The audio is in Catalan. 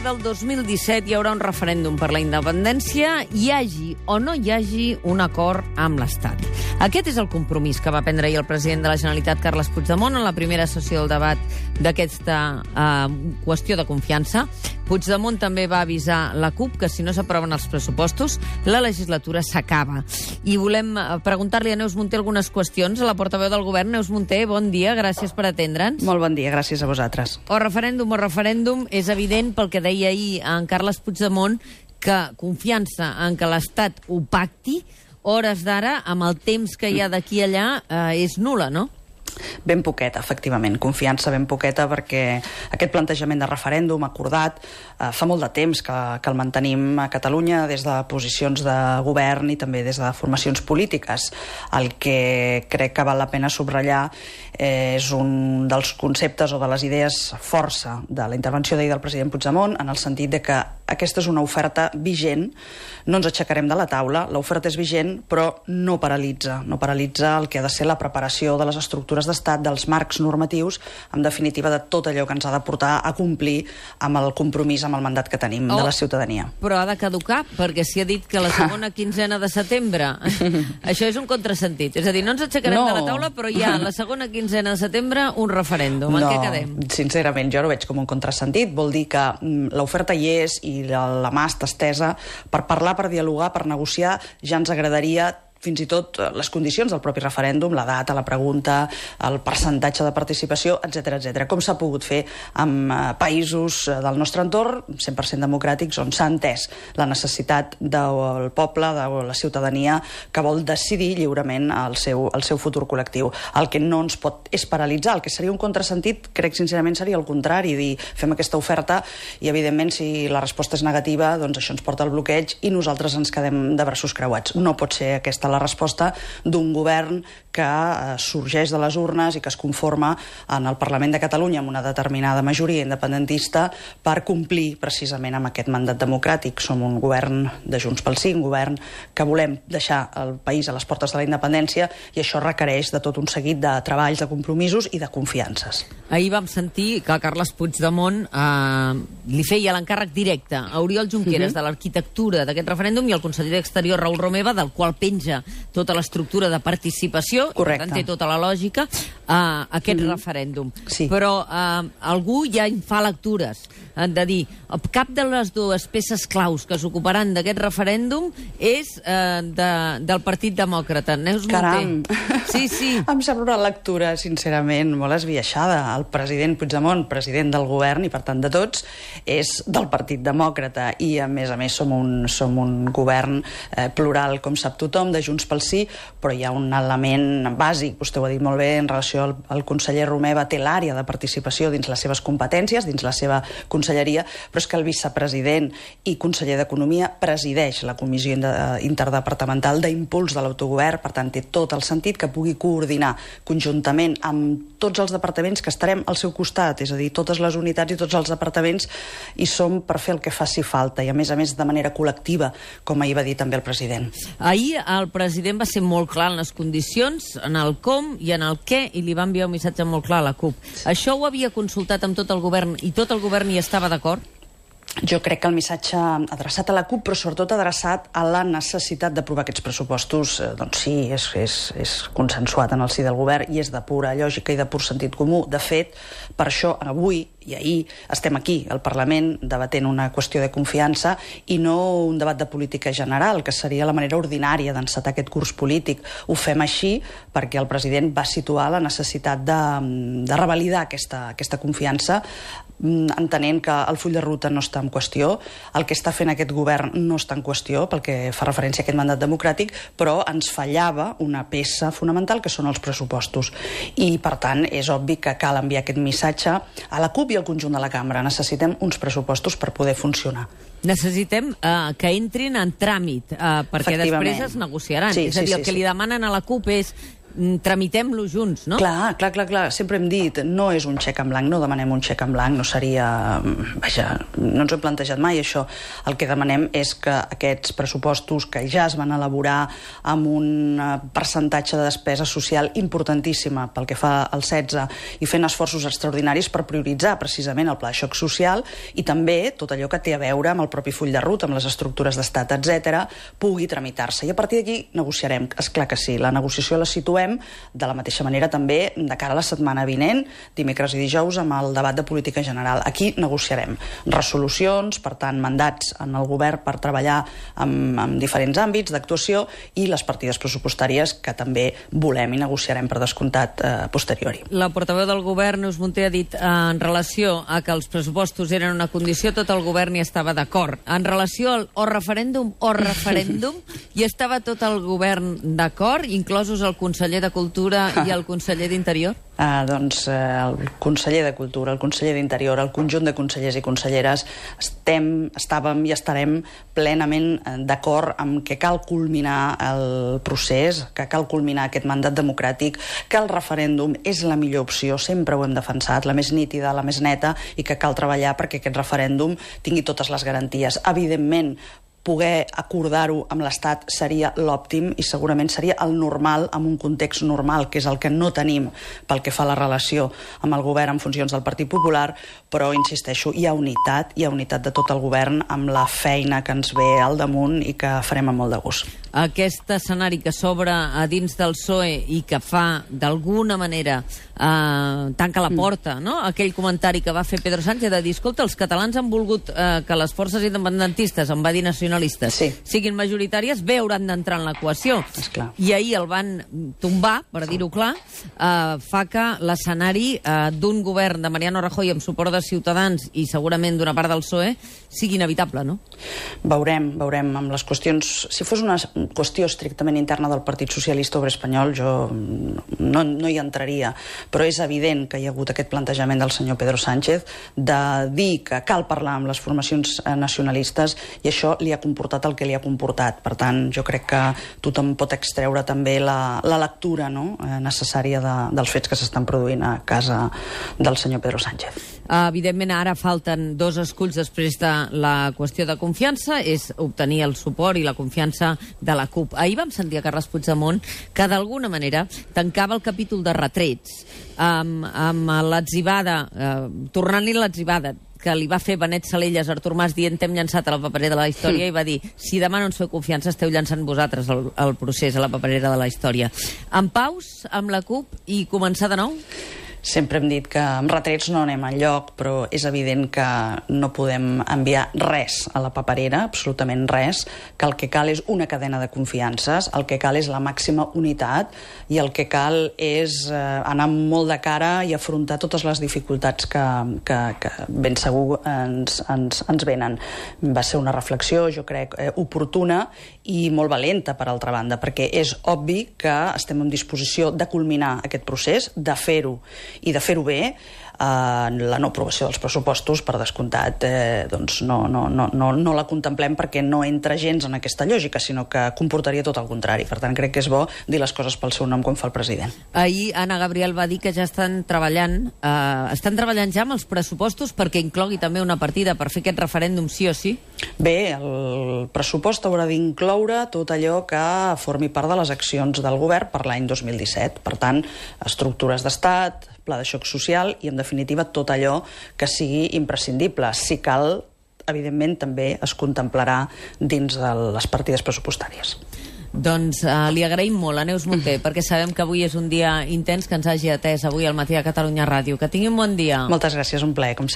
del 2017 hi haurà un referèndum per la independència, hi hagi o no hi hagi un acord amb l'Estat. Aquest és el compromís que va prendre ahir el president de la Generalitat, Carles Puigdemont, en la primera sessió del debat d'aquesta qüestió de confiança. Puigdemont també va avisar la CUP que si no s'aproven els pressupostos, la legislatura s'acaba. I volem preguntar-li a Neus Munté algunes qüestions. A la portaveu del govern, Neus Munté, bon dia, gràcies per atendre'ns. Molt bon dia, gràcies a vosaltres. O referèndum, és evident pel que deia ahir en Carles Puigdemont que confiança en que l'Estat ho pacti, hores d'ara, amb el temps que hi ha d'aquí a allà, és nul·la, no? Ben poqueta, efectivament, confiança ben poqueta, perquè aquest plantejament de referèndum acordat fa molt de temps que el mantenim a Catalunya des de posicions de govern i també des de formacions polítiques. El que crec que val la pena subratllar és un dels conceptes o de les idees força de la intervenció d'ahir del president Puigdemont, en el sentit de que aquesta és una oferta vigent, no ens aixecarem de la taula, l'oferta és vigent, però no paralitza el que ha de ser la preparació de les estructures d'estat, dels marcs normatius, en definitiva de tot allò que ens ha de portar a complir amb el compromís, amb el mandat que tenim de la ciutadania. Però ha de caducar, perquè s'hi ha dit que la segona quinzena de setembre, això és un contrasentit, és a dir, no ens aixecarem de la taula, però hi ha la segona quinzena de setembre un referèndum. En què quedem? Sincerament, jo no veig com un contrasentit, vol dir que l'oferta hi és i la mà està estesa per parlar, per dialogar, per negociar. Ja ens agradaria fins i tot les condicions del propi referèndum, la data, la pregunta, el percentatge de participació, etc. Com s'ha pogut fer amb països del nostre entorn, 100% democràtics, on s'ha entès la necessitat del poble, de la ciutadania, que vol decidir lliurement el seu futur col·lectiu. El que no ens pot és paralitzar, el que seria un contrasentit, crec sincerament seria el contrari, dir fem aquesta oferta i evidentment si la resposta és negativa, doncs això ens porta al bloqueig i nosaltres ens quedem de braços creuats. No pot ser aquesta la resposta d'un govern que sorgeix de les urnes i que es conforma en el Parlament de Catalunya amb una determinada majoria independentista per complir precisament amb aquest mandat democràtic. Som un govern de Junts pel Sí, un govern que volem deixar el país a les portes de la independència i això requereix de tot un seguit de treballs, de compromisos i de confiances. Ahir vam sentir que Carles Puigdemont li feia l'encàrrec directe a Oriol Junqueras de l'arquitectura d'aquest referèndum i al conseller d'Exterior, Raül Romeva, del qual penja tota l'estructura de participació, correcte, i per tant té tota la lògica, aquest referèndum. Sí. Però algú ja en fa lectures de dir, cap de les dues peces claus que s'ocuparan d'aquest referèndum és del Partit Demòcrata. Neus Munté. Caram! Sí. Em sembla una lectura, sincerament, molt esbiaixada. El president Puigdemont, president del govern i per tant de tots, és del Partit Demòcrata i a més som un govern plural, com sap tothom, de Junts pel Sí, però hi ha un element bàsic, vostè ho ha dit molt bé, en relació al conseller Romeva, té l'àrea de participació dins les seves competències, dins la seva conselleria, però és que el vicepresident i conseller d'Economia presideix la Comissió Interdepartamental d'Impuls de l'Autogovern, per tant té tot el sentit que pugui coordinar conjuntament amb tots els departaments que estarem al seu costat, és a dir, totes les unitats i tots els departaments hi som per fer el que faci falta i a més de manera col·lectiva, com ahir va dir també el president. Ahir el president va ser molt clar en les condicions, en el com i en el què, i li va enviar un missatge molt clar a la CUP. Això ho havia consultat amb tot el govern i tot el govern hi estava d'acord? Jo crec que el missatge adreçat a la CUP, però sobretot adreçat a la necessitat d'aprovar aquests pressupostos, doncs sí, és consensuat en el si del govern i és de pura lògica i de pur sentit comú. De fet, per això avui i ahir estem aquí, al Parlament, debatent una qüestió de confiança i no un debat de política general, que seria la manera ordinària d'encetar aquest curs polític. Ho fem així perquè el president va situar la necessitat de revalidar aquesta confiança, entenent que el full de ruta no està en qüestió, el que està fent aquest govern no està en qüestió pel que fa referència a aquest mandat democràtic, però ens fallava una peça fonamental que són els pressupostos. I, per tant, és obvi que cal enviar aquest missatge a la CUP i al conjunt de la cambra. Necessitem uns pressupostos per poder funcionar. Necessitem que entrin en tràmit, perquè després es negociaran. Sí, és a dir, el que li demanen a la CUP és tramitem-lo junts, no? Clar. Sempre hem dit, no és un xec en blanc, no demanem un xec en blanc, no seria... Vaja, no ens ho hem plantejat mai, això. El que demanem és que aquests pressupostos que ja es van elaborar amb un percentatge de despesa social importantíssima pel que fa al 16 i fent esforços extraordinaris per prioritzar precisament el pla de xoc social i també tot allò que té a veure amb el propi full de ruta, amb les estructures d'estat, etc., pugui tramitar-se. I a partir d'aquí negociarem. És clar que sí, la negociació la situem de la mateixa manera també de cara a la setmana vinent, dimecres i dijous, amb el debat de política general. Aquí negociarem resolucions, per tant, mandats en el govern per treballar en diferents àmbits d'actuació i les partides pressupostàries que també volem i negociarem per descomptat posteriori. La portaveu del govern, Neus Munté, ha dit en relació a que els pressupostos eren una condició, tot el govern hi estava d'acord. En relació al o referèndum, hi estava tot el govern d'acord, inclosos el conseller de Cultura i el conseller d'Interior? Doncs el conseller de Cultura, el conseller d'Interior, el conjunt de consellers i conselleres estàvem i estarem plenament d'acord amb que cal culminar el procés, que cal culminar aquest mandat democràtic, que el referèndum és la millor opció, sempre ho hem defensat, la més nítida, la més neta, i que cal treballar perquè aquest referèndum tingui totes les garanties. Evidentment, poder acordar-ho amb l'Estat seria l'òptim i segurament seria el normal, en un context normal, que és el que no tenim pel que fa a la relació amb el govern en funcions del Partit Popular, però, insisteixo, hi ha unitat de tot el govern amb la feina que ens ve al damunt i que farem amb molt de gust. Aquest escenari que s'obre a dins del PSOE i que fa, d'alguna manera, tanca la porta, no? Aquell comentari que va fer Pedro Sánchez de dir, escolta, els catalans han volgut que les forces independentistes, em va dir nacionalistes, siguin majoritàries, bé hauran d'entrar en l'equació. I ahir el van tombar, per dir-ho clar, fa que l'escenari d'un govern de Mariano Rajoy amb suport de Ciutadans i segurament d'una part del PSOE sigui inevitable, no? Veurem amb les qüestions. Si fos una qüestió estrictament interna del Partit Socialista Obrer Espanyol, jo no hi entraria, però és evident que hi ha hagut aquest plantejament del senyor Pedro Sánchez de dir que cal parlar amb les formacions nacionalistes i això li ha comportat el que li ha comportat. Per tant, jo crec que tothom pot extreure també la lectura necessària dels fets que s'estan produint a casa del senyor Pedro Sánchez. Evidentment, ara falten dos esculls després de la qüestió de confiança, és obtenir el suport i la confiança de la CUP. Ahir vam sentir a Carles Puigdemont que d'alguna manera tancava el capítol de retrets amb l'atzivada, tornant-li l'atzivada que li va fer Benet Salellas a Artur Mas dient t'hem llançat a la paperera de la història i va dir, si demà no ens feu confiança esteu llançant vosaltres el procés a la paperera de la història. En paus amb la CUP i començar de nou? Sempre hem dit que amb retrets no anem enlloc, però és evident que no podem enviar res a la paperera, absolutament res, que el que cal és una cadena de confiances, el que cal és la màxima unitat i el que cal és anar molt de cara i afrontar totes les dificultats que ben segur ens venen. Va ser una reflexió, jo crec, oportuna i molt valenta, per altra banda, perquè és obvi que estem en disposició de culminar aquest procés, de fer-ho i de fer-ho bé. La no aprovació dels pressupostos, per descomptat, doncs no la contemplem perquè no entra gens en aquesta lògica, sinó que comportaria tot el contrari. Per tant, crec que és bo dir les coses pel seu nom com fa el president. Ahir Anna Gabriel va dir que ja estan treballant ja amb els pressupostos perquè inclogui també una partida per fer aquest referèndum sí o sí? Bé, el pressupost haurà d'incloure tot allò que formi part de les accions del govern per l'any 2017. Per tant, estructures d'estat, pla de xoc social i, en definitiva, tot allò que sigui imprescindible. Si cal, evidentment, també es contemplarà dins de les partides pressupostàries. Doncs li agraïm molt a Neus Munté, perquè sabem que avui és un dia intens, que ens hagi atès avui al Matí de Catalunya Ràdio. Que tingui un bon dia. Moltes gràcies, un plaer, com sempre.